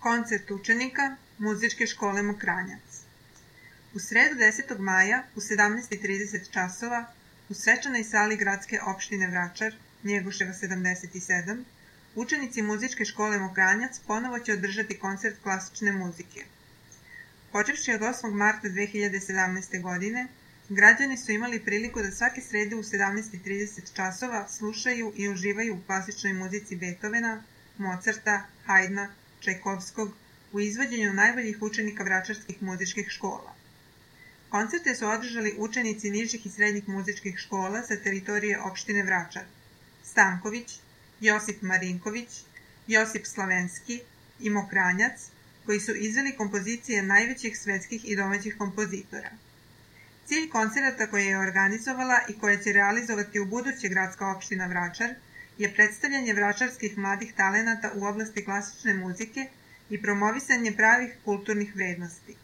Koncert učenika Muzičke škole Mokranjac. U sredu 10. maja u 17:30 časova u svečanoj sali gradske opštine Vračar, Njegoševa 77, učenici Muzičke škole Mokranjac ponovo će održati koncert klasične muzike. Počevši od 8. marta 2017. godine, građani su imali priliku da svake srede u 17:30 časova slušaju i uživaju u klasičnoj muzici Beethovena, Mozarta, Haydna, Čajkovskog u izvođenju najboljih učenika vračarskih muzičkih škola. Koncerte su održali učenici nižih i srednjih muzičkih škola sa teritorije opštine Vračar: Stanković, Josip Marinković, Josip Slavenski i Mokranjac, koji su izveli kompozicije najvećih svetskih i domaćih kompozitora. Cilj koncerata koje je organizovala i koje će realizovati u buduće gradska opština Vračar je predstavljanje vračarskih mladih talenata u oblasti klasične muzike i promovisanje pravih kulturnih vrednosti.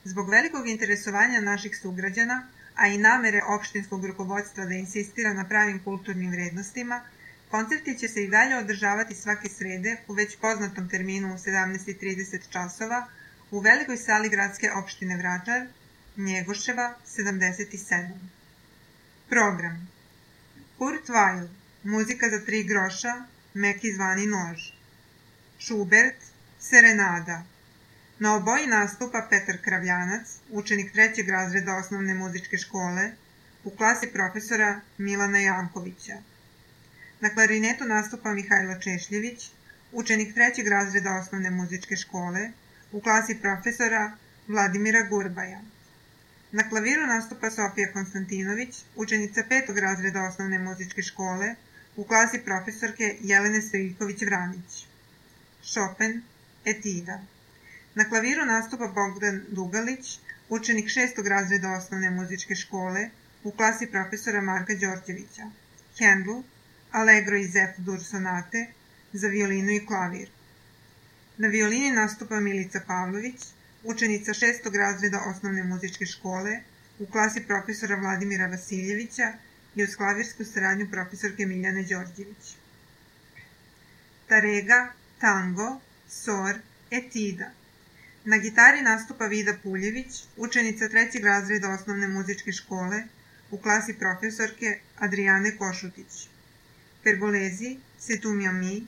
Zbog velikog interesovanja naših sugrađana, a i namere opštinskog rukovodstva da insistira na pravim kulturnim vrednostima, koncerti će se i dalje održavati svake srede u već poznatom terminu u 17:30 časova u velikoj sali gradske opštine Vračar, Njegoševa 77. Program: Kurt Weill, muzika za 3 groša, Meki zvani nož. Schubert, Serenada. Na oboji nastupa Petar Kravljanac, učenik 3. razreda osnovne muzičke škole, u klasi profesora Milana Jankovića. Na klarinetu nastupa Mihajlo Češljević, učenik 3. razreda osnovne muzičke škole, u klasi profesora Vladimira Gurbaja. Na klaviru nastupa Sofija Konstantinović, učenica 5. razreda osnovne muzičke škole, u klasi profesorke Jelene Stojiljković-Vranić. Chopin, Etida. Na klaviru nastupa Bogdan Dugalić, učenik 6. razreda osnovne muzičke škole, u klasi profesora Marka Đorđevića. Handel, Allegro iz F-dur sonate, za violinu i klavir. Na violini nastupa Milica Pavlović, učenica 6. razreda osnovne muzičke škole, u klasi profesora Vladimira Vasiljevića i uz klavirsku saradnju profesorke Miljane Đorđević. Tarega, tango, sor, etida. Na gitari nastupa Vida Puljević, učenica 3. razreda osnovne muzičke škole, u klasi profesorke Adrijane Košutić. Pergolezi, C'est tu mi ami,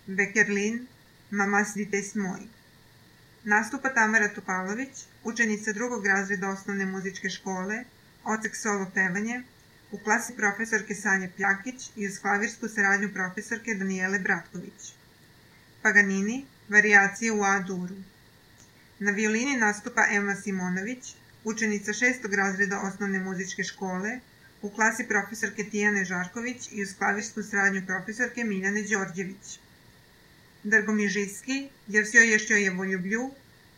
Bekerlin, Mamas dites moi. Nastupa Tamara Topalović, učenica 2. razreda osnovne muzičke škole, odsek solo pevanje, u klasi profesorke Sanje Pljakić i uz klavirsku saradnju profesorke Danijele Bratković. Paganini, varijacije u A-duru. Na violini nastupa Ema Simonović, učenica 6. razreda osnovne muzičke škole, u klasi profesorke Tijane Žarković i uz klavirsku saradnju profesorke Miljane Đorđević. Dargomižijski, jer sve ještě je voljublju,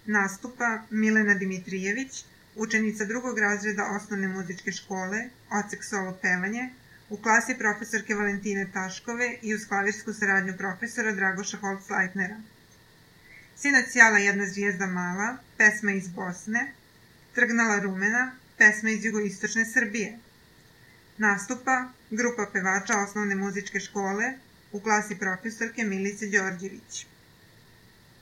nastupa Milena Dimitrijević, učenica 2. razreda osnovne muzičke škole, odsek solo pevanje, u klasi profesorke Valentine Taškove i uz klavirsku saradnju profesora Dragoša Holcleitnera. Sinoć sjala jedna zvijezda mala, pesma iz Bosne, Trgnala rumena, pesma iz jugoistočne Srbije. Nastupa grupa pevača osnovne muzičke škole, u klasi profesorke Milice Đorđević.